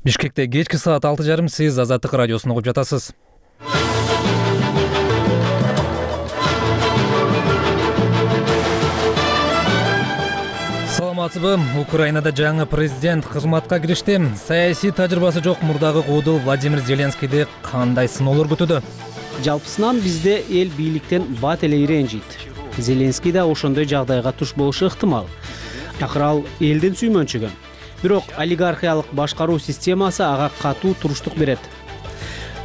Бишкекте кечки саат 6:30 сиз Азаттык радиосун угуп жатасыз. Саламатсызбы? Украинада жаңы президент кызматка киришти. Саясий тажрыйбасы жок мурдагы куудул Владимир Зеленскийди кандай сыноолор күтүүдө? Жалпысынан бизде эл бийликтен бат эле ирэнжийт. Зеленский да ошондой жагдайга туш болушу ыктымал. Акыры ал элдин сүймөнчүгү. Бирок олигархиялык башкаруу системасы ага катуу туруштук берет.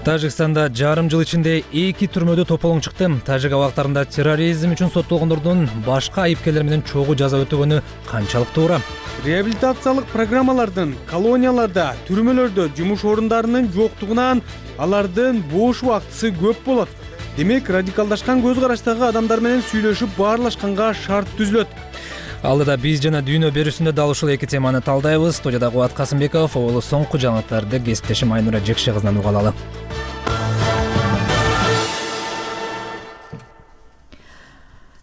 Тажикстанда жарым жыл ичинде 2 түрмөдө тополоң чыкты. Тажик абактарында терроризм үчүн соттолгондордун башка айыпкерлер менен чогуу жаза өтөгөнү канчалык туура? Реабилитациялык программалардын колонияларда, түрмөлөрдө жумуш орундарынын жоктугунан алардын бош убактысы көп болот. Демек, радикалдашкан көз караштагы адамдар менен сүйлөшүп баарлашканга шарт түзүлөт. Алдыда биз жана дүйнө берүүсүндө дал ушул эки теманы талдайбыз. Студияда Кубат Касымбеков, оолу соңку жаңылыктарды кесиптешим Айнура Жекше кызынан уга алалы.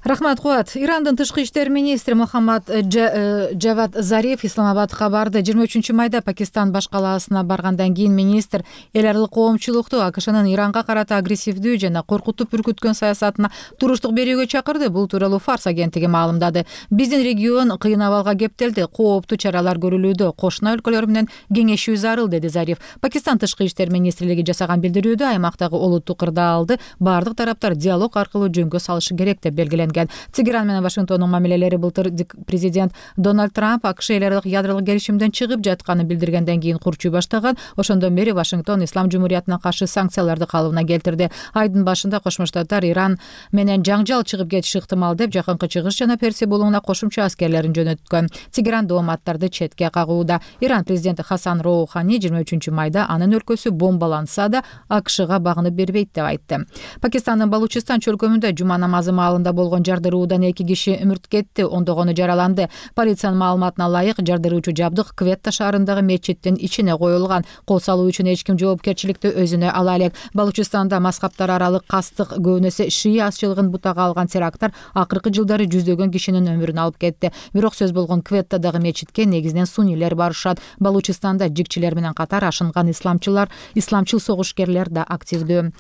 Рахмат, Кубат. Ирандын тышкы иштер министри Мухаммад Джавад Зариф Исламабадка барды. 23 майда Пакистан баш калаасына баргандан кийин министр эл аралык коомчулукту АКШнын Иранга карата агрессивдүү жана коркутуп үркүткөн саясатына туруштук берүүгө чакырды. Бул тууралуу Фарс агенттиги маалымдады. Биздин регион кыйын абалга кептелди. Кооптуу чаралар көрүлүүдө. Кошуна өлкөлөр менен кеңешүү зарыл, деди Зариф. Пакистан тышкы иштер министрлиги жасаган билдирүүдө аймактагы олуттук кырдаалды бардык тараптар диалог аркылуу жөнгө салышы керек деп белгиленген. Тегеран менен Вашингтондун мамилелери былтыр президент Дональд Трамп АКШ эл аралык ядролук келишимден чыгып жатканын билдиргенден кийин курчуй баштаган. Ошондон бери Вашингтон Ислам Жумуриятына каршы санкцияларды калыбына келтирди. Айдын башында Кошмо Штаттар Иран менен жаңжал чыгып кетиши ыктымал деп Жакынкы Чыгыш жана Персия булугуна кошумча аскерлерин жөнөткөн. Тегеран дооматтарды четке кагууда. Иран президенти Хасан Роухани 23 майда анын өлкөсү бомбаланса да АКШга багынып бербейт деп айтты. Пакистандын Балучистан чөлкөмүндө жума намазы маалында болгон жардыруудан 2 киши өмүрт кетти, ондогону жараланды. Полициянын маалыматына ылайык, жардыруучу жабдык Кветта шаарындагы мечиттин ичине коюлган. Кол салуу үчүн эч ким жоопкерчиликти өзүнө ала элек. Балучистанда мазхабтар аралык кастык көбүнөсө шия азчылыгын бутага алган теракттар акыркы жылдары жүздөгөн кишинин өмүрүн алып кетти. Бирок сөз болгон Кветтадагы мечитке негизинен суннилер барышат. Балучистанда жикчилер менен катар ашынган исламчыл согушкерлер да активдүү.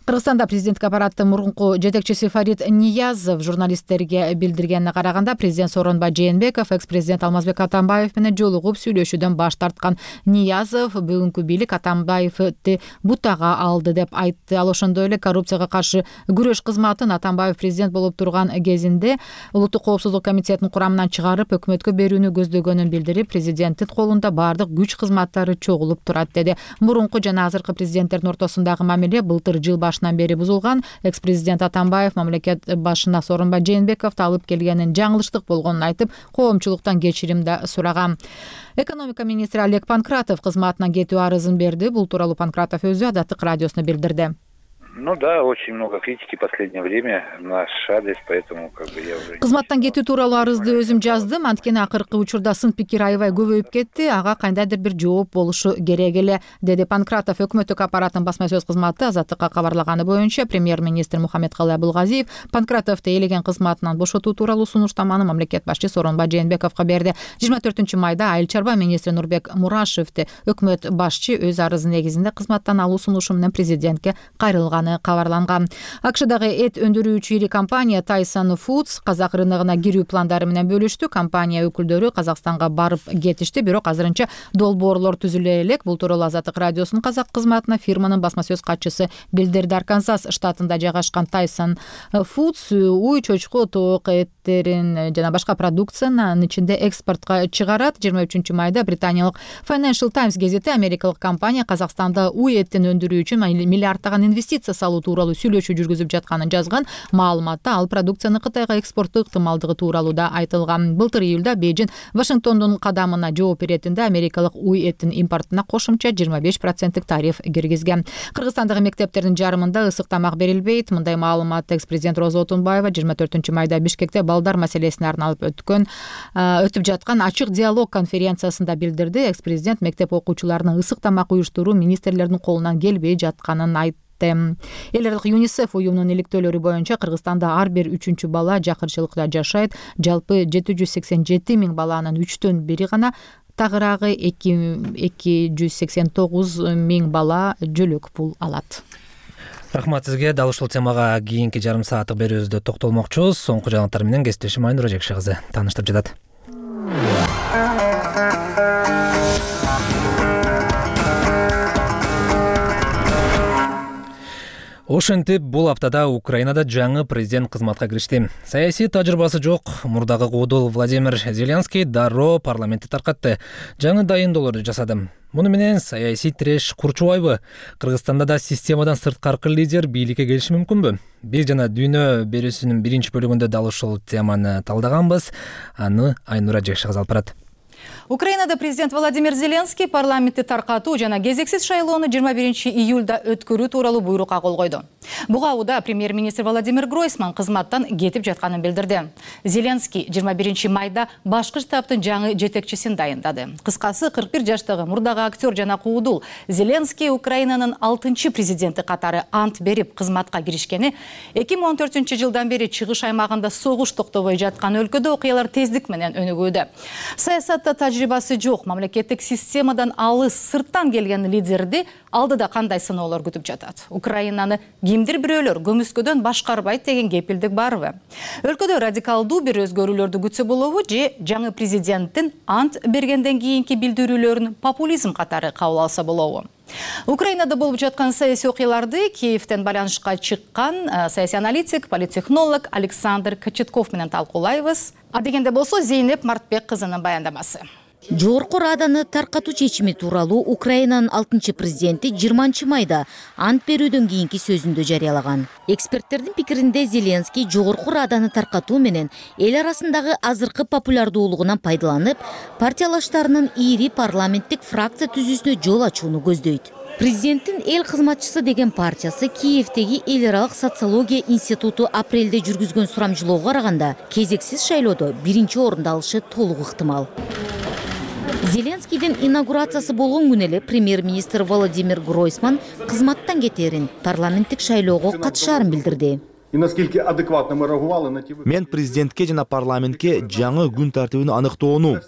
Кыргызстанда президенттик аппараттын мурунку жетекчиси Фарид Ниязов журналисттерге билдиргенине караганда, президент Сооронбай Жээнбеков экс-президент Алмазбек Атамбаев менен жолугуп сүйлөшүүдөн баш тарткан. Ниязов бүгүнкү бийлик Атамбаевди бутага алды деп айтты. Ал ошондой эле коррупцияга каршы күрөш кызматын Атамбаев президент болуп турган кезинде Улуттук коопсуздук комитетинин курамынан чыгарып өкмөткө берүүнү көздөгөнүн билдирип, президенттин колунда бардык күч кызматтары чогулуп турат деди. Мурунку жана азыркы президенттердин ортосундагы мамиле былтыр жыл башынан бери бузулган. Экс-президент Атамбаев мамлекет башына Сооронбай Жээнбековду алып келгенин жаңылыштык болгонун айтып, коомчулуктан кечирим да сураган. Экономика министри Олег Панкратов кызматынан кетүү арызын берди. Бул тууралуу Панкратов өзү Азаттык радиосуна билдирди. Да, очень много критики в последнее время в наш адрес, поэтому я уже... Кызматтан кетүү тууралуу арызды өзүм жаздым. Анткени акыркы учурда сын пикир аябай көбөйүп кетти. Ага кандайдыр бир жооп болушу керек эле, деди Панкратов. Өкмөттүк аппараттын басма сөз кызматы Азаттыкка кабарлаганы боюнча, премьер-министр Мухаммедкалый Абылгазиев Панкратовду элеген кызматынан бошотуу тууралуу сунуштаманы мамлекет башчы Сооронбай Жээнбековго берди. 24 майда Айыл чарба министри Нурбек Мурашевди өкмөт башчы өз арызы негизинде кызматтан алуу сунушу менен президентке кайрылган кабарланган. АКШдагы эт өндүрүүчү ири компания Tyson Foods казак рыногуна кирүү пландары менен бөлүштү. Компания өкүлдөрү Казакстанга барып кетишти, бирок азырынча долбоорлор түзүлө элек. Бул тууралуу Азаттык радиосунун казак кызматына фирманын басма сөз катчысы билдирди. Арканзас штатында жайгашкан Tyson Foods уй, чочко, тоок эттерин жана башка продукциянын ичинде экспортко чыгарат. 23 майда британиялык Financial Times гезити америкалык компания Казакстанда уй этин өндүрүү үчүн миллиарддаган инвестиция салуу тууралуу сүйлөшүү жүргүзүп жатканын жазган. Маалыматта ал продукцияны Кытайга экспорттоо ыктымалдыгы тууралуу да айтылган. Былтыр июлда Бейжин Вашингтондун кадамына жооп беретинде америкалык уй этин импортуна кошумча 25% тариф киргизген. Кыргызстандагы мектептердин жарымында ысык тамак берилбейт. Мындай маалыматты экс-президент Роза Отунбаева 24 майда Бишкекте балдар маселесине арналып өтүп жаткан ачык диалог конференциясында билдирди. Экс-президент мектеп окуучуларынын ысык тамак уюштуруу министрлердин колунан келбей жатканын айтты. Эл аралык ЮНИСЕФ уюмунун иликтөөлөрү боюнча Кыргызстанда ар бир 3-чү бала жакырчылыкта жашайт. Жалпы 787 миң баланын 3төн 1 гана тагыраагы 289 миң бала жөлөк пул алат. Рахмат сизге. Дал ушул темага кийинки жарым сааттык берүүбүздө токтолмокчубуз. Соңку жаңылыктар менен кесиптешим Айнура Жекши кызы тааныштырып жатат. Ошентип, бул аптада Украинада жаңы президент кызматка киришти. Саясий тажрыйбасы жок мурдагы куудул Владимир Зеленский дароо парламентти таркатты. Жаңы дайындоолорду жасады. Муну менен саясий тиреш курчубайбы? Кыргызстанда да системадан сырткаркы лидер бийликке келиши мүмкүнбү? Биз жана дүйнө берүүсүнүн биринчи бөлүгүндө дал ушул теманы талдаганбыз. Аны Айнура Жекши кызы алып барат. Украинада президент Владимир Зеленский парламентти таркатуу жана кезексиз шайлоону 21 июлда өткөрүү тууралуу буйрукка кол койду. Буга убада премьер-министр Владимир Гройсман кызматтан кетип жатканын билдирди. Зеленский 21 майда башкы штабтын жаңы жетекчисин дайындады. Кыскасы 41 жаштагы мурдагы актер жана куудул Зеленский Украинанын 6-чы президенти катары ант берип кызматка киришкени 2014-жылдан бери чыгыш аймагында согуш токтобой жаткан өлкөдө окуялар тездик менен өнүгүүдө. Саясатта тажрыйбасы жок, мамлекеттик системадан алыс сырттан келген лидерди алдыда кандай сыноолор күтүп жатат? Украинаны кимдир бирөөлөр көмүскөдөн башкарбайт деген кепилдик барбы? Өлкөдө радикалдуу бир өзгөрүүлөрдү күтсө болобу же жаңы президенттин ант бергенден кийинки билдирүүлөрүн популизм катары кабыл алса болобу? Украинада болуп жаткан саясий окуяларды Киевтен байланышка чыккан саясий аналитик, политтехнолог Александр Кочетков менен талкуулайбыз. А дегенде болсо Зейнеп Мартбек кызынын баяндамасы. Жогорку Раданы таркатуу чечими тууралуу Украинанын 6-чы президенти 20 майда ант берүүдөн кийинки сөзүндө жарыялаган. Эксперттердин пикиринде Зеленский Жогорку Раданы таркатуу менен эл арасындагы азыркы популярдуулугунан пайдаланып, партиялаштарынын ири парламенттик фракция түзүүсүнө жол ачууну көздөйт. Президенттин эл кызматчысы деген партиясы Киевдеги эл аралык социология институту апрелде жүргүзгөн сурамжылоого караганда кезексиз шайлоодо биринчи орунду алышы толук ыктымал. Зеленскийдин инаугурациясы болгон күнү эле премьер-министр Владимир Гройсман кызматтан кетерин, парламенттик шайлоого катышаарын билдирди. Мен президентке жана парламентке жаңы күн тартибин аныктоону,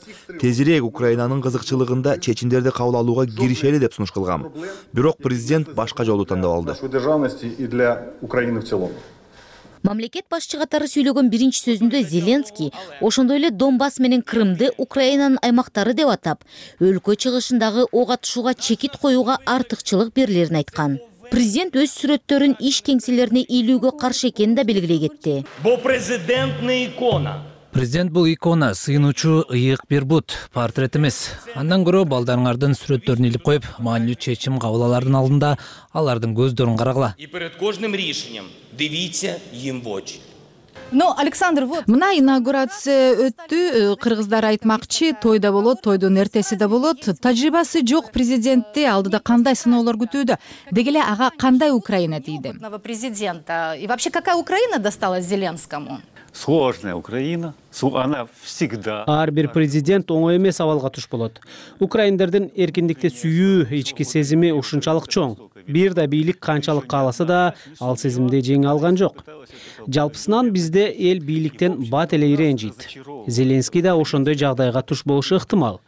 тезирээк Украинанын кызыкчылыгында чечимдерди кабыл алууга киришели деп сунуш кылгам. Бирок президент башка жолду тандап алды. Мамлекет башчы катары сүйлөгөн биринчи сөзүндө Зеленский ошондой эле Донбасс менен Крымды Украинанын аймактары деп атап, өлкө чыгышындагы ок атышууга чекит коюуга артыкчылык берилерин айткан. Президент өз сүрөттөрүн иш кеңселерине илүүгө каршы экенин да белгилей кетти. Бо президентный икона. Президент бул икона, сыйынуучу ыйык бир бут, портрет эмес. Андан көрө балдарыңардын сүрөттөрүн илип коюп, маанилүү чечим кабыл алардын алдында алардын көздөрүн карагыла. И перед кожным решением дивіться їм в очі. Александр, мына инаугурация өттү, кыргыздар айтмакчы, тойда болот, тойдун эртеси да болот. Тажрыйбасы жок президентти алдыда кандай сыноолор күтүүдө? Деги эле ага кандай Украина тийди? Президента. И вообще какая Украина досталась Зеленскому? Сложная Украина, она всегда. Ар бир президент оңой эмес абалга туш болот. Украиндардын эркиндикти сүйүү ички сезими ушунчалык чоң. Бир да бийлик канчалык кааласа да, ал сезимди жеңе алган жок. Жалпысынан бизде эл бийликтен бат эле иренжийт. Зеленский да ошондой жагдайга туш болушу ыктымал.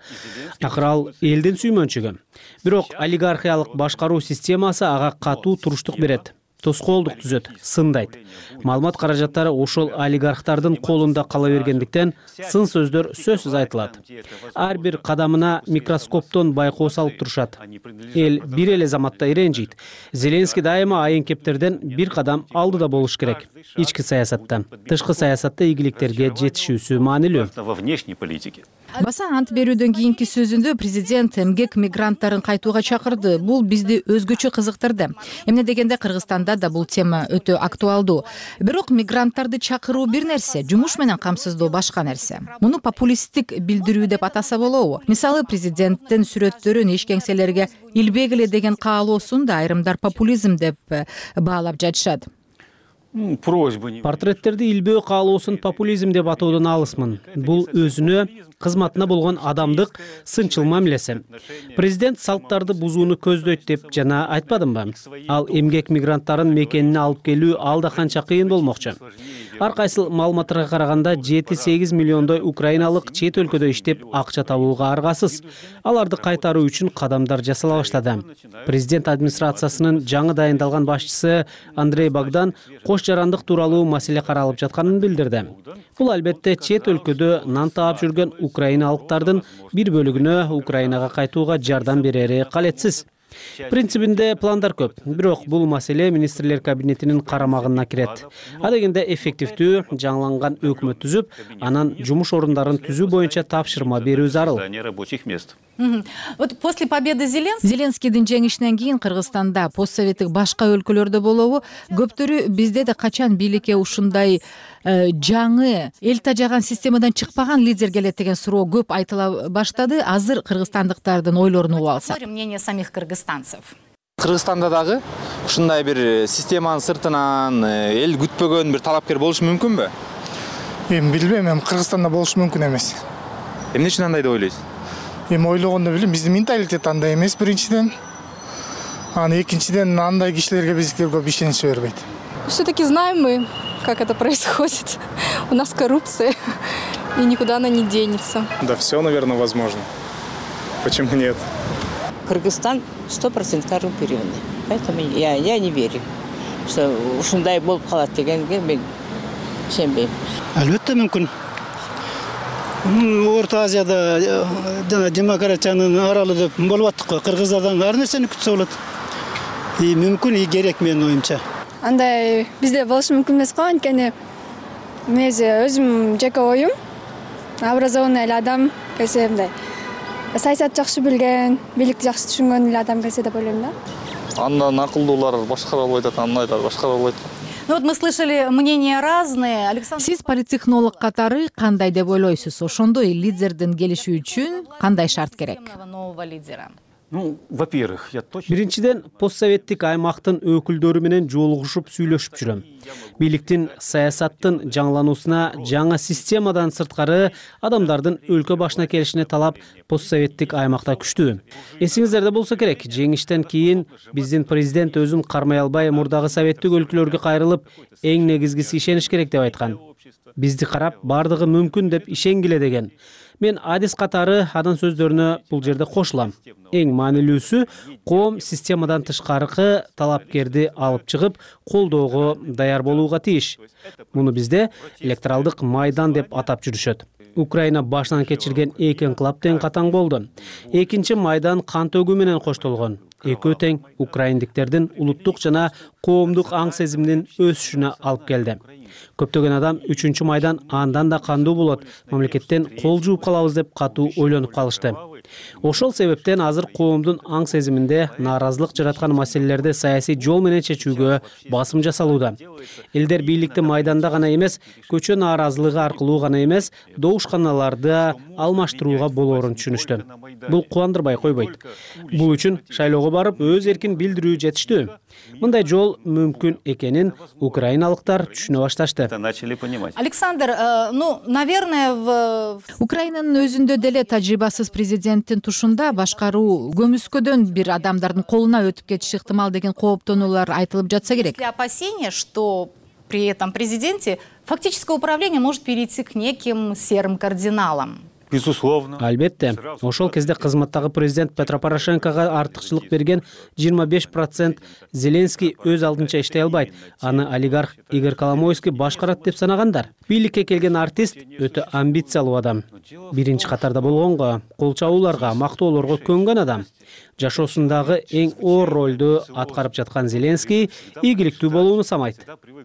Акыры ал элдин сүймөнчүгү. Бирок олигархиялык башкаруу системасы ага катуу туруштук берет. Тоскоолдук түзөт, сындайт. Маалымат каражаттары ошол олигархтардын колунда кала бергендиктен сын сөздөр сөзсүз айтылат. Ар бир кадамына микроскоптон байкоо салып турушат. Эл бир эле заматта иренжийт. Зеленский дайыма айын-кептерден бир кадам алдыда болуш керек. Ички саясатта, тышкы саясатта ийгиликтерге жетишүүсү маанилүү. Во внешней политике. Баса ант берүүдөн кийинки сөзүндө президент эмгек мигранттарын кайтууга чакырды. Бул бизди өзгөчө кызыктырды. Эмне дегенде Кыргызстанда да бул тема өтө актуалдуу. Бирок мигранттарды чакыруу бир нерсе, жумуш менен камсыздоо башка нерсе. Муну популисттик билдирүү деп атаса болобу? Мисалы, президенттин сүрөттөрүн иш кеңселерге илбегиле деген каалоосун да айрымдар популизм деп баалап жатышат. Портреттерди илбөө каалоосун популизм деп атоодон алысмын. Бул өзүнө кызматына болгон адамдык сынчыл мамилеси. Президент салттарды бузууну көздөйт деп жана айтпадымбы? Ал эмгек мигранттарын мекенине алып келүү алда канча кыйын болмокчу. Ар кайсыл маалыматтарга караганда 7-8 миллиондой украиналык чет өлкөдө иштеп акча табууга аргасыз. Аларды кайтаруу үчүн кадамдар жасала баштады. Президент администрациясынын жаңы дайындалган башчысы Андрей Богдан кош жарандык тууралуу маселе каралып жатканын билдирди. Бул албетте чет өлкөдө нан таап жүргөн украиналыктардын бир бөлүгүнө Украинага кайтууга жардам берери калетсиз. Принцибинде пландар көп, бирок бул маселе министрлер кабинетинин карамагына кирет. А дегенде эффективдүү жаңыланган өкмөт түзүп, анан жумуш орундарын түзүү боюнча тапшырма берүү зарыл. Вот после победы Зеленскийдин жеңишинен кийин Кыргызстанда постсоветтик башка өлкөлөрдө болобу, көптөрү бизде да качан бийликке ушундай жаңы эл тажаган системадан чыкпаган лидер келет деген суроо көп айтыла баштады. Азыр кыргызстандыктардын ойлорун угуп алсак. Мнение самих кыргызстанцев. Кыргызстанда дагы ушундай бир системанын сыртынан эл күтпөгөн бир талапкер болушу мүмкүнбү? Эми билбейм, эми Кыргызстанда болушу мүмкүн эмес. Эмне үчүн андай деп ойлойсуз? Эми ойлогондо билем, биздин менталитет андай эмес биринчиден. Аны экинчиден андай кишилерге бизге көп ишенич бербейт. Все-таки знаем мы, как это происходит. У нас коррупция, и никуда она не денется. Да все, наверное, возможно. Почему нет? Кыргызстан 100% коррумпированный. Поэтому я не верю, что ушундай болуп калат дегенге мен ишенбейм. Албетте мүмкүн. Орто Азияда жана демократиянын аралы деп болуп аттык. Кыргыздардан ар нерсени күтсө болот. И мүмкүн, и керек менин оюмча. Андай бизде болушу мүмкүн эмес го, анткени мен өзүм жеке оюм, образованный эле адам келсе мындай саясат жакшы билген, бийликти жакшы түшүнгөн эле адам келсе деп ойлойм да. Андан акылдуулар башкара айтат, андайлар башкара айтат. Ну вот мы слышали мнения разные. Александр, сиз политтехнолог катары кандай деп ойлойсуз? Ошондой лидердин келиши үчүн кандай шарт керек? Нового лидера. Ну, во-первых, я точно... Биринчиден, постсоветтик аймактын өкүлдөрү менен жолугушуп сүйлөшүп жүрөм. Бийликтин саясаттын жаңылануусуна жаңа системадан сырткары адамдардын өлкө башына келишине талап постсоветтик аймакта күчтүү. Эсиңиздерде болсо керек, жеңиштен кийин биздин президент өзүн кармай албай мурдагы советтик өлкөлөргө кайрылып, эң негизгиси ишениш керек деп айткан. Бизди карап бардыгы мүмкүн деп ишенгиле деген. Мен адис катары анын сөздөрүнө бул жерде кошулам. Эң маанилүүсү коом системадан тышкаркы талапкерди алып чыгып, колдоого даяр болууга тийиш. Муну бизде электоралдык майдан деп атап жүрүшөт. Украина башынан кечирген эки инкылап тең катаң болду. Экинчи майдан кан төгүү менен коштолгон. Экөө тең украиндиктердин улуттук жана коомдук аң сезиминин өсүшүнө алып келди. Көптөгөн адам 3-чү майдан андан да кандуу болот, мамлекеттен кол жууп калабыз деп катуу ойлонуп калышты. Ошол себептен азыр коомдун аң сезиминде нааразылык жараткан маселелерди саясий жол менен чечүүгө басым жасалууда. Элдер бийликти майданда гана эмес, көчө нааразылыгы аркылуу гана эмес, добушканаларды алмаштырууга болоорун түшүнүштү. Бул кубандырбай койбойт. Бул үчүн шайлоого барып өз эркин билдирүү жетиштүү. Мындай жол мүмкүн экенин украиналыктар түшүнө башташты. Александр, ну, наверное, Украинанын өзүндө деле тажрыйбасыз президенттин тушунда башкаруу көмүскөдөн бир адамдардын колуна өтүп кетиши ыктымал деген кооптонуулар айтылып жатса керек. Опасения, что при этом президенте фактическое управление может перейти к неким серым кардиналам. Безусловно. Албетте, ошол кезде кызматтагы президент Петро Порошенкого артыкчылык берген 25% Зеленский өз алдынча иштей албайт. Аны олигарх Игорь Коломойский башкарат деп санагандар. Бийликке келген артист өтө амбициялуу адам. Биринчи катарда болгонго, кол чабууларга, мактоолорго көнгөн адам. Жашоосундагы эң оор ролду аткарып жаткан Зеленский ийгиликтүү болууну самайт.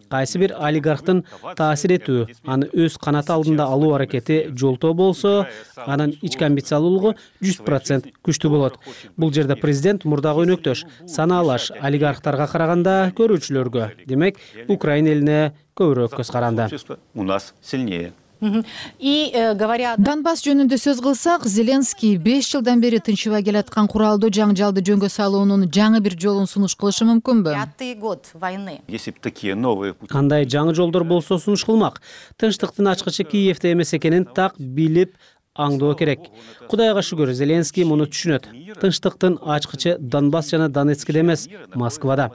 Кайсы бир олигархтын таасир этүү, аны өз канаты алдында алуу аракети жолтоо болсо, анын ички амбициялуулугу 100% күчтүү болот. Бул жерде президент мурдагы өнөктөш, санаалаш олигархтарга караганда көрүүчүлөргө, демек, Украина элине көбүрөөк көз каранды. У нас сильнее. Донбасс жөнүндө сөз кылсак, Зеленский 5 жылдан бери тынчыбай келаткан куралдуу жаңжалды жөнгө салуунун жаңы бир жолун сунуш кылышы мүмкүнбү? Андай жаңы жолдор болсо сунуш кылмак. Тынчтыктын ачкычы Киевде эмес экенин так билип, аңдоо керек. Кудайга шүгүр, Зеленский муну түшүнөт. Тынчтыктын ачкычы Донбасс жана Донецкте эмес, Москвада.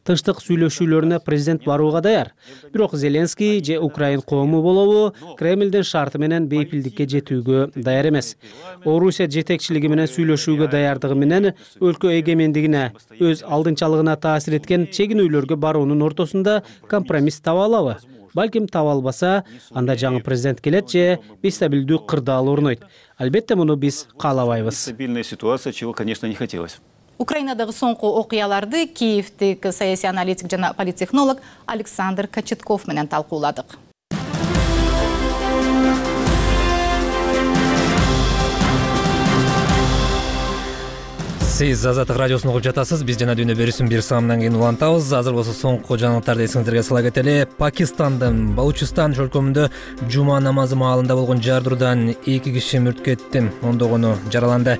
Тынчтык сүйлөшүүлөрүнө президент барууга даяр. Бирок Зеленский же Украин коому болобу Кремлдин шарты менен бейпилдикке жетүүгө даяр эмес. Орусия жетекчилиги менен сүйлөшүүгө даярдыгы менен өлкө эгемендигине, өз алдынчалыгына таасир эткен чегинүүлөргө баруунун ортосунда компромисс таба алабы? Балким таба албаса, анда жаңы президент келет же бестабилдүү кырдаал орнойт. Албетте муну биз каалабайбыз. Стабильная ситуация, чего, конечно, не хотелось. Украинадагы соңку окуяларды Киевдик саясий аналитик жана политтехнолог Александр Кочетков менен талкууладык. Сиз Азаттык радиосун угуп жатасыз. Биз жана дүйнө берүүсүн бир саамдан кийин улантабыз. Азыр болсо соңку жаңылыктарды эсиңизерге сала кетели. Пакистандын Балучистан өлкөмүндө жума намазы маалында болгон жардыруудан 2 киши мүрт кетти, ондогону жараланды.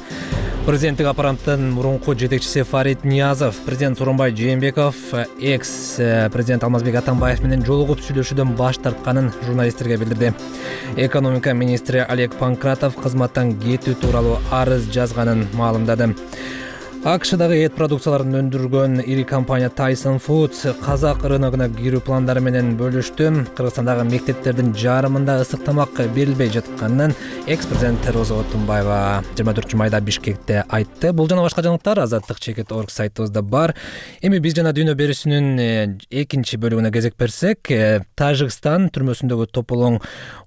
Президенттик аппараттын мурунку жетекчиси Фарид Ниязов, президент Сооронбай Жээнбеков экс-президент Алмазбек Атамбаев менен жолугуп сүйлөшүүдөн баш тартканын журналисттерге билдирди. Экономика министри Олег Панкратов кызматтан кетүү тууралуу арыз жазганын маалымдады. АКШдагы эт продукцияларын өндүргөн ири компания Tyson Foods казак рыногуна кирүү пландары менен бөлүштү. Кыргызстандагы мектептердин жарымында ысык тамак берилбей жатканын экс-президент Роза Отунбаева 24 майда Бишкекте айтты. Бул жана башка жаңылыктар azattik.org сайтыбызда бар. Эми биз жана дүйнө берүүсүнүн экинчи бөлүгүнө кезек берсек, Тажикстан түрмөсүндөгү тополоң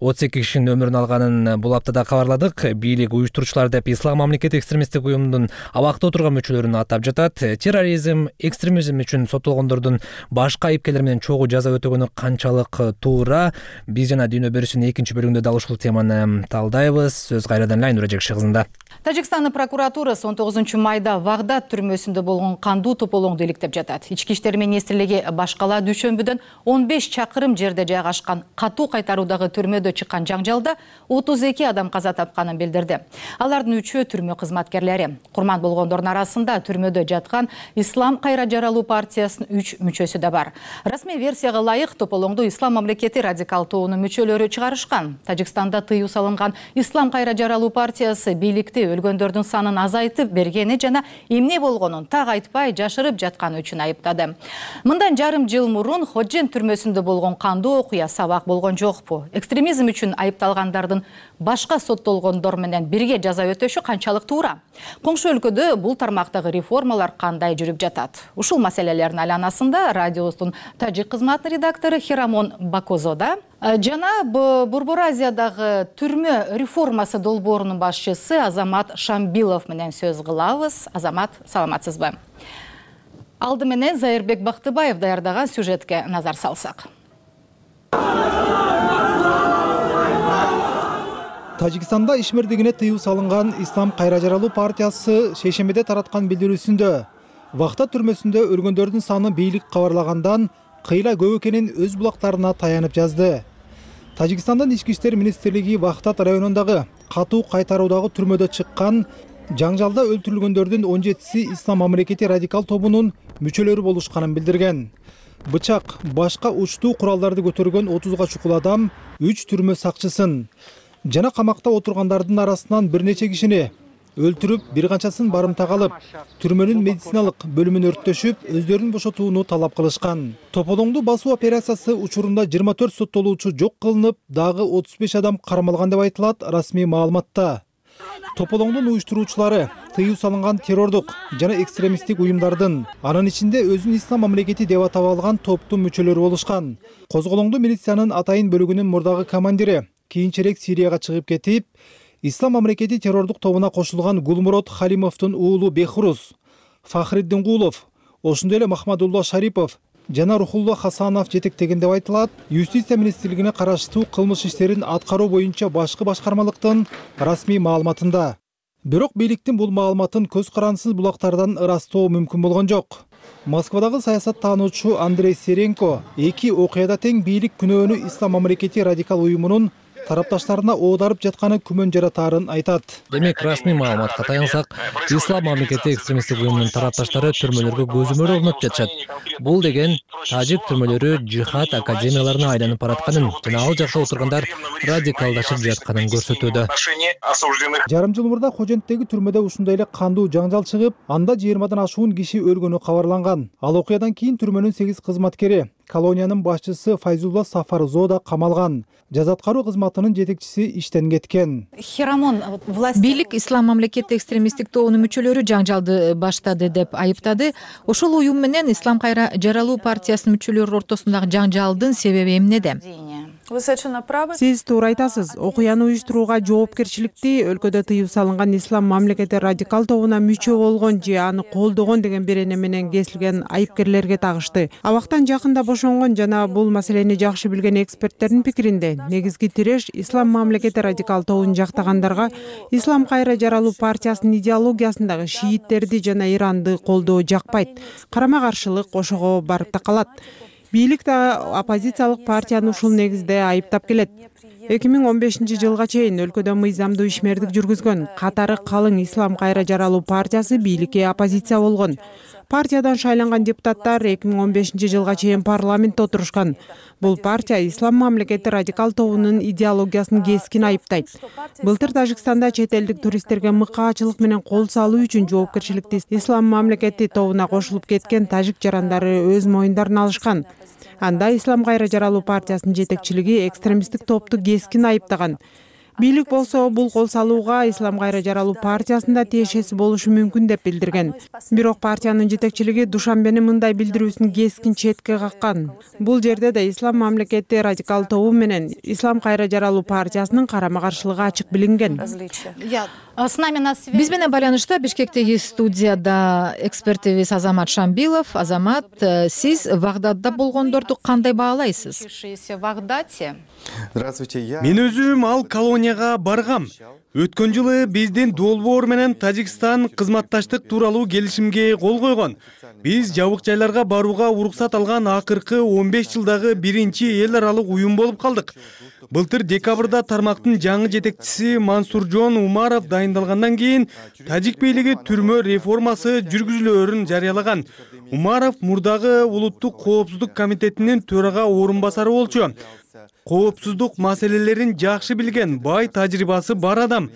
32 кишинин өмүрүн алганын бул аптада кабарладык. Бийлик уюштуруучулар деп Ислам мамлекети экстремисттик уюмунун абакта отурган мүчөлөрүн атап жатат. Терроризм, экстремизм үчүн соттолгондордун башка айыпкерлер менен чогуу жаза өтөгөнү канчалык туура? Биз жана дүйнө берүүсүнүн экинчи бөлүгүндө дал ушул теманы талдайбыз. Сөз кайрадан эле Айнура Жекши кызында. Тажикстандын прокуратурасы 19 майда Вагдад түрмөсүндө болгон кандуу тополоңду иликтеп жатат. Ички иштер министрлиги башкала дүйшөмбүдөн 15 чакырым жерде жайгашкан катуу кайтаруудагы түрмөдө чыккан жаңжалда 32 адам каза тапканын билдирди. Алардын 3-өө түрмө кызматкерлери. Курман болгондордун арасында түрмөдө жаткан Ислам кайра жаралуу партиясынын 3 мүчөсү да бар. Расмий версияга ылайык тополоңду Ислам мамлекети радикал тобунун мүчөлөрү чыгарышкан. Тажикстанда тыюу салынган Ислам кайра жаралуу партиясы бийликти өлгөндөрдүн санын азайтып бергени жана эмне болгонун так айтпай жашырып жатканы үчүн айыптады. Мындан жарым жыл мурун Ходжен түрмөсүндө болгон кандуу окуя сабак болгон жокпу? Экстремизм үчүн айыпталгандардын башка соттолгондор менен бирге жаза өтөшү канчалык туура? Коңшу өлкөдө бул тармактагы реформалар кандай жүрүп жатат? Ушул маселелердин айланасында радиобуздун тажик кызматынын редактору Хирамон Бакозода жана Борбор Азиядагы түрмө реформасы долбоорунун башчысы Азамат Шамбилов менен сөз кылабыз. Азамат, саламатсызбы? Алды менен Зайырбек Бактыбаев даярдаган сюжетке назар салсак. Тажикстанда ишмердигине тыюу салынган Ислам кайра жаралуу партиясы шейшембиде тараткан билдирүүсүндө Вахта түрмөсүндө өлгөндөрдүн саны бийлик кабарлагандан кыйла көп экенин өз булактарына таянып жазды. Тажикстандын ички иштер министрлиги Вахтат районундагы катуу кайтаруудагы түрмөдө чыккан жаңжалда өлтүрүлгөндөрдүн 17-си Ислам мамлекети радикал тобунун мүчөлөрү болушканын билдирген. Бычак, башка учтуу куралдарды көтөргөн 30га чукул адам 3 түрмө сакчысын жана камакта отургандардын арасынан бир нече кишини өлтүрүп, бир канчасын барымтага алып, түрмөнүн медициналык бөлүмүн өрттөшүп, өздөрүн бошотууну талап кылышкан. Тополоңду басуу операциясы учурунда 24 соттолуучу жок кылынып, дагы 35 адам кармалган деп айтылат расмий маалыматта. Тополоңдун уюштуруучулары тыюу салынган террордук жана экстремисттик уюмдардын, анын ичинде өзүн Ислам мамлекети деп атап алган топтун мүчөлөрү болушкан. Козголоңду милициянын Атайын бөлүгүнүн мурдагы командири кийинчерээк Сирияга чыгып кетип, Ислам мамлекети террордук тобуна кошулган Гулмурод Халимовдун уулу Бехруз, Фахриддин Гулов, ошондой эле Махмадулла Шарипов жана Рухулла Хасанов жетектеген деп айтылат. Юстиция министрлигине караштуу кылмыш иштерин аткаруу боюнча башкы башкармалыктын расмий маалыматында. Бирок бийликтин бул маалыматын көз карансыз булактардан ырастоо мүмкүн болгон жок. Москвадагы саясат таануучу Андрей Серенко 2 окуяда тең бийлик күнөөнү Ислам мамлекети радикал уюмунун тарапташтарына оодарып жатканы күмөн жаратаарын айтат. Демек, расмий маалыматка таянсак, Ислам мамлекети экстремисттик уюмунун тарапташтары түрмөлөргө көзөмөл орнотуп жатышат. Бул деген тажик түрмөлөрү жихад академияларына айланып баратканын жана ал жакта отургандар радикалдашып жатканын көрсөтүүдө. Жарым жыл мурда Коженттеги түрмөдө ушундай эле кандуу жаңжал чыгып, анда 20-дан ашуун киши өлгөнү кабарланган. Ал окуядан кийин түрмөнүн 8 кызматкери, колониянын башчысы Файзулла Сафарзоо да камалган. Жаза аткаруу кызматынын жетекчиси иштен кеткен. Бийлик Ислам мамлекети экстремисттик тобунун мүчөлөрү жаңжалды баштады деп айыптады. Ошол уюм менен Ислам кайра жаралуу партиясынын мүчөлөрү ортосундагы жаңжалдын себеби эмнеде? Сиз туура айтасыз. Окуяны уюштурууга жоопкерчиликти өлкөдө тыюу салынган Ислам мамлекети радикал тобуна мүчө болгон же аны колдогон деген берене менен кесилген айыпкерлерге тагышты. Абактан жакында бошонгон жана бул маселени жакшы билген эксперттердин пикиринде, негизги тиреш Ислам мамлекети радикал тобун жактагандарга Ислам кайра жаралуу партиясынын идеологиясындагы шииттерди жана Иранды колдоо жакпайт. Карама каршылык ошого барып такалат. Бийлик да оппозициялык партияны ушул негизде айыптап келет. 2015-жылга чейин өлкөдө мыйзамдуу ишмердик жүргүзгөн катары калың Ислам кайра жаралуу партиясы бийликке оппозиция болгон. Партиядан шайланган депутаттар 2015-жылга чейин парламентте отурушкан. Бул партия Ислам мамлекети радикал тобунун идеологиясын кескин айыптайт. Былтыр Тажикстанда чет элдик туристтерге мыкаачылык менен кол салуу үчүн жоопкерчиликти Ислам мамлекети тобуна кошулуп кеткен тажик жарандары өз моюндарына алышкан. Анда Ислам кайра жаралуу партиясынын жетекчилиги экстремисттик топту кескин айыптаган. Бийлик болсо бул кол салууга Ислам кайра жаралуу партиясында тиешеси болушу мүмкүн деп билдирген. Бирок партиянын жетекчилиги Душанбенин мындай билдирүүсүн кескин четке каккан. Бул жерде да Ислам мамлекети радикал тобу менен Ислам кайра жаралуу партиясынын карама каршылыгы ачык билинген. Биз менен байланышта Бишкектеги студияда экспертибиз Азамат Шамбилов. Азамат, сиз Вагдадда болгондорду кандай баалайсыз? Мен өзүм ал колонияга баргам. Өткөн жылы биздин долбоор менен Тажикстан кызматташтык тууралуу келишимге кол койгон. Биз жабык жайларга барууга уруксат алган акыркы 15 жылдагы биринчи эл аралык уюм болуп калдык. Былтыр декабрда тармактын жаңы жетекчиси Мансуржон Умаров дайындалгандан кийин тажик бийлиги түрмө реформасы жүргүзүлөөрүн жарыялаган. Умаров мурдагы улуттук коопсуздук комитетинин төрага орун басары болчу. Коопсуздук маселелерин жакшы билген, бай тажрыйбасы бар адам.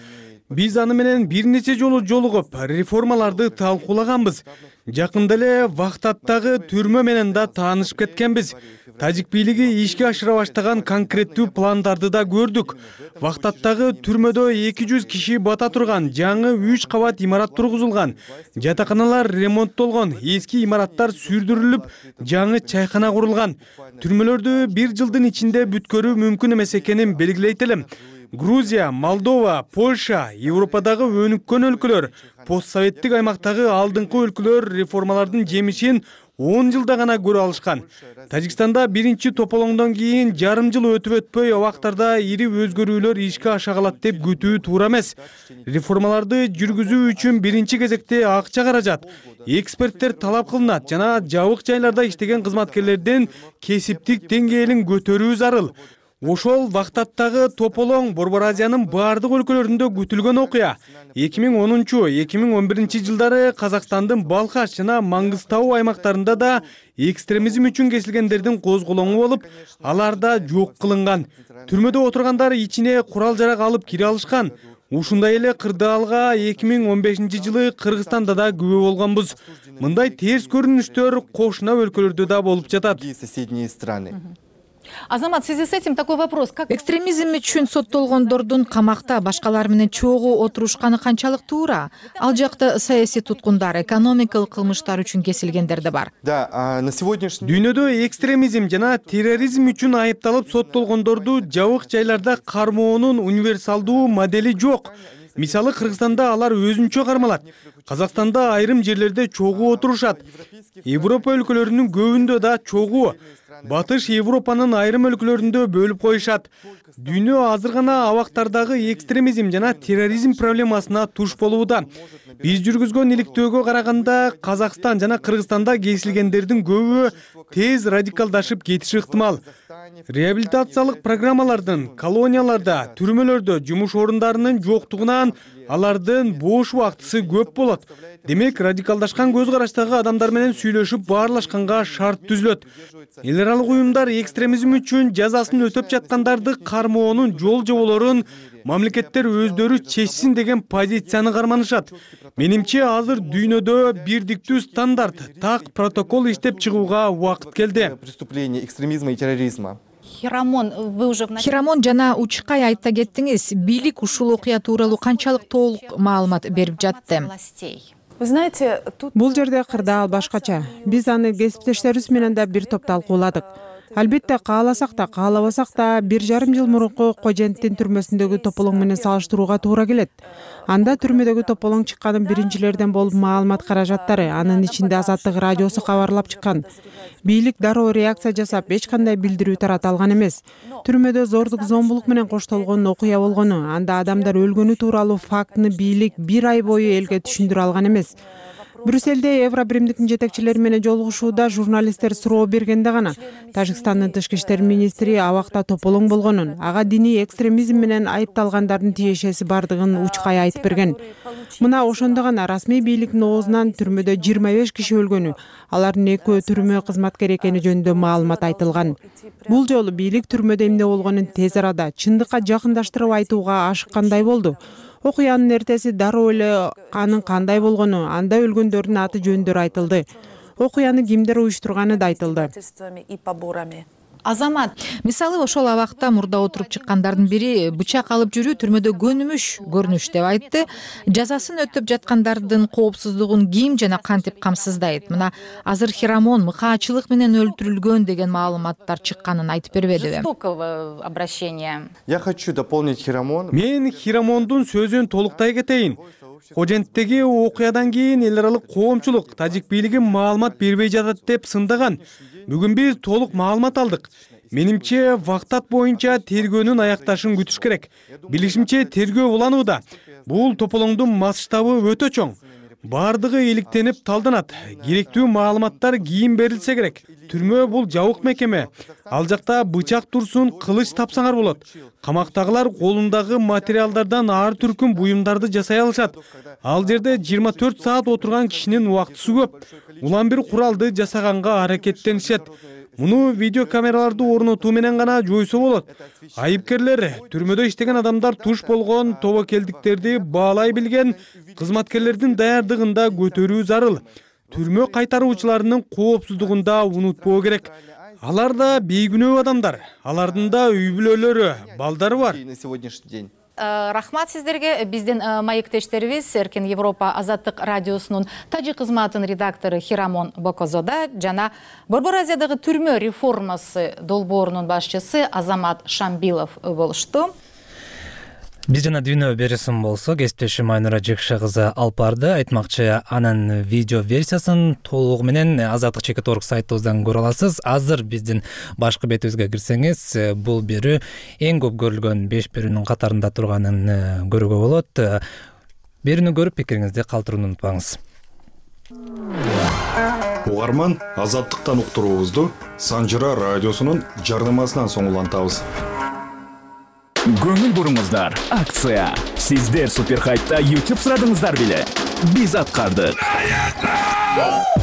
Биз аны менен бир нече жолу жолугуп, реформаларды талкуулаганбыз. Жакында эле Вагдадтагы түрмө менен да таанышып кеткенбиз. Тажик бийлиги ишке ашыра баштаган конкреттүү пландарды да көрдүк. Вагдадтагы түрмөдө 200 киши бата турган жаңы 3 кабат имарат тургузулган. Жатаканалар ремонттолгон, эски имараттар сүрдүрүлүп, жаңы чайкана курулган. Түрмөлөрдү бир жылдын ичинде бүткөрүү мүмкүн эмес экенин белгилейт элем. Грузия, Молдова, Польша, Европадагы өнүккөн өлкөлөр, постсоветтик аймактагы алдыңкы өлкөлөр реформалардын жемишин 10 жылда гана көрө алышкан. Тажикстанда биринчи тополоңдон кийин жарым жыл өтүп өтпөй абактарда ири өзгөрүүлөр ишке аша калат деп күтүү туура эмес. Реформаларды жүргүзүү үчүн биринчи кезекте акча каражат. Эксперттер талап кылынат жана жабык жайларда иштеген кызматкерлердин кесиптик деңгээлин көтөрүү зарыл. Ошол Вагдадтагы тополоң Борбор Азиянын бардык өлкөлөрүндө күтүлгөн окуя. 2010-2011 жылдары Казакстандын Балкаш жана Маңгыстау аймактарында да экстремизм үчүн кесилгендердин козголоңу болуп, алар да жок кылынган. Түрмөдө отургандар ичине курал-жарак алып кире алышкан. Ушундай эле кырдаалга 2015 жылы Кыргызстанда да күбө болгонбуз. Мындай терс көрүнүштөр кошуна өлкөлөрдө да болуп жатат. Азамат, в связи с этим такой вопрос. Экстремизм үчүн соттолгондордун камакта башкалар менен чогуу отурушканы канчалык туура? Ал жакта саясий туткундар, экономикалык кылмыштар үчүн кесилгендер да бар. Дүйнөдө экстремизм жана терроризм үчүн айыпталып соттолгондорду жабык жайларда кармоонун универсалдуу модели жок. Мисалы Кыргызстанда алар өзүнчө кармалат. Казакстанда айрым жерлерде чогуу отурушат. Европа өлкөлөрүнүн көбүндө да чогуу. Батыш Европанын айрым өлкөлөрүндө бөлүп коюшат. Дүйнө азыр гана абактардагы экстремизм жана терроризм проблемасына туш болууда. Биз жүргүзгөн иликтөөгө караганда Казакстан жана Кыргызстанда кесилгендердин көбү тез радикалдашып кетиши ыктымал. Реабилитациялык программалардын колонияларда, түрмөлөрдө жумуш орундарынын жоктугунан алардын бош убактысы көп болот. Демек, радикалдашкан көз караштагы адамдар менен сүйлөшүп баарлашканга шарт түзүлөт. Эл аралык уюмдар экстремизм үчүн жазасын өтөп жаткандарды кармоонун жол жоболорун мамлекеттер өздөрү чечсин деген позицияны карманышат. Менимче, азыр дүйнөдө бирдиктүү стандарт, так протокол иштеп чыгууга убакыт келди. Преступление экстремизма и терроризма. Хирамон жана Учкай айта кеттиңиз, бийлик ушул окуя тууралуу канчалык толук маалымат берип жатты? Бул жерде кырдаал башкача. Биз аны кесиптештерибиз менен да бир топ талкууладык. Албетте, кааласак да, каалабасак да 1,5 жыл мурунку Коженттин түрмөсүндөгү тополоң менен салыштырууга туура келет. Анда түрмөдөгү тополоң чыкканын биринчилерден болуп маалымат каражаттары, анын ичинде Азаттык радиосу кабарлап чыккан. Бийлик дароо реакция жасап, эч кандай билдирүү тарата алган эмес. Түрмөдө зордук, зомбулук менен коштолгон окуя болгону, анда адамдар өлгөнү тууралуу фактыны бийлик 1 ай бою элге түшүндүрө алган эмес. Брюссельде Евробиримдиктин жетекчилери менен жолугушууда журналисттер суроо бергенде гана Тажикстандын тышкы иштер министри абакта тополоң болгонун, ага диний экстремизм менен айыпталгандардын тиешеси бардыгын Учкай айтып берген. Мына ошондо гана расмий бийликтин оозунан түрмөдө 25 киши өлгөнү, алардын 2 түрмө кызматкери экени жөнүндө маалымат айтылган. Бул жолу бийлик түрмөдө эмне болгонун тез арада чындыкка жакындаштырып айтууга ашыккандай болду. Окуянын эртеси дароо эле анын кандай болгону, анда өлгөндөрдүн аты жөндөрү айтылды. Окуяны кимдер уюштурганы да айтылды. Азамат, мисалы ошол абакта мурда отуруп чыккандардын бири бычак алып жүрүү түрмөдө көнүмүш көрүнүш деп айтты. Жазасын өтөп жаткандардын коопсуздугун ким жана кантип камсыздайт? Мына азыр Хирамон мыкаачылык менен өлтүрүлгөн деген маалыматтар чыкканын айтып бербедиби? Жестокого обращения. Я хочу дополнить Хирамон. Мен Хирамондун сөзүн толуктай кетейин. Коженттеги окуядан кийин эл аралык коомчулук тажик бийлиги маалымат бербей жатат деп сындаган. Бүгүн биз толук маалымат алдык. Менимче, вактат боюнча тергөөнүн аякташын күтүш керек. Билишимче, тергөө уланууда. Бул тополоңдун масштабы өтө чоң. Бардыгы иликтенип талданат. Керектүү маалыматтар кийин берилсе керек. Түрмө бул жабык мекеме. Ал жакта бычак турсун, кылыч тапсаңар болот. Камактагылар колундагы материалдардан ар түркүм буюмдарды жасай алышат. Ал жерде 24 саат отурган кишинин убактысы көп. Улам бир куралды жасаганга аракеттенишет. Муну видеокамераларды орнотуу менен гана жойсо болот. Айыпкерлер, түрмөдө иштеген адамдар туш болгон тобокелдиктерди баалай билген кызматкерлердин даярдыгында көтөрүү зарыл. Түрмө кайтаруучуларынын коопсуздугун да унутпоо керек. Алар да бейкүнөө адамдар. Алардын да үй бүлөлөрү, балдары бар. Рахмат сиздерге. Биздин маектештерибиз Эркин Европа Азаттык радиосунун тажик кызматынын редактору Хирамон Бокозода жана Борбор Азиядагы түрмө реформасы долбоорунун башчысы Азамат Шамбилов болушту. Биз жана дүйнө бересим болсо, кесиптешим Айнура Жекше кызы алып барды. Айтмакчы, анын видео версиясын толугу менен Азаттык.org сайтыбыздан көрө аласыз. Азыр биздин башкы бетибизге кирсеңиз, бул берүү эң көп көрүлгөн 5 берүүнүн катарында турганын көрүүгө болот. Берүүнү көрүп пикириңизди калтырууну унутпаңыз. Угарман, Азаттыктан уктуруубузду Санжыра радиосунун жардамасынан соң улантабыз. Көңүл буруңуздар, акция. Сиздер Суперхайпта YouTube сурадыңыздар беле? Биз аткардык.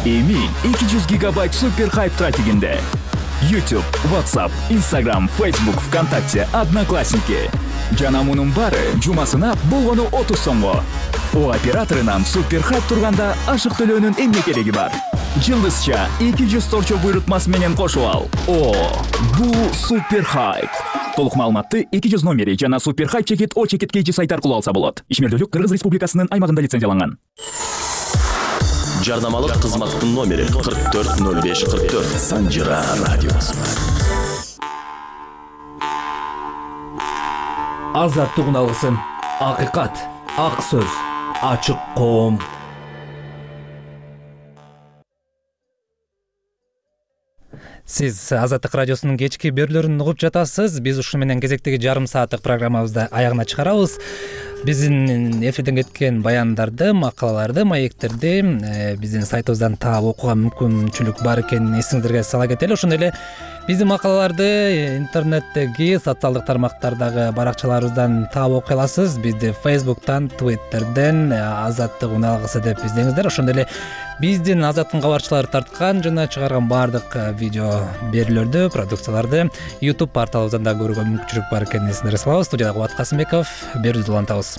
Эми 200 гигабайт Суперхайп трафигинде. YouTube, WhatsApp, Instagram, Facebook, ВКонтакте, Одноклассники. Жана мунун баары жумасына болгону 30 сомго. О операторунан Суперхайп турганда ашык төлөөнүн эмне кереги бар? Жылдызча 200 торчо буйрутмасы менен кошуп ал. О, бул Суперхайп. Толук маалыматты 200 номери жана Суперхайп чекит О чекит KG сайт аркылуу алса болот. Ишмердүүлүк Кыргыз Республикасынын аймагында лицензияланган. Жардамалык кызматтын номери 440544 Санжыра радиосу. Азаттык алгысын, акыйкат, ак сөз, ачык коом. Сиз Азаттык радиосунун кечки берүүлөрүн угуп жатасыз. Биз ушу менен кезектеги жарым сааттык программабызды аягына чыгарабыз. биздин эфирден кеткен баяндарды, макалаларды, маектерди биздин сайтыбыздан таап окууга мүмкүнчүлүк бар экенин эсиңиздерге сала кетели. Ошондой эле биздин макалаларды интернеттеги социалдык тармактардагы баракчаларыбыздан таап окуй аласыз. Бизди Facebook'тан, Twitter'ден Азаттык уналгысы деп издеңиздер. Ошондой эле биздин Азаттыктын кабарчылары тарткан жана чыгарган баардык видео берүүлөрдү, продукцияларды YouTube порталыбыздан да көрүүгө мүмкүнчүлүк бар экенин эсиңиздарге салабыз. Студияда Кубат Касымбеков, берүүбүздү улантабыз.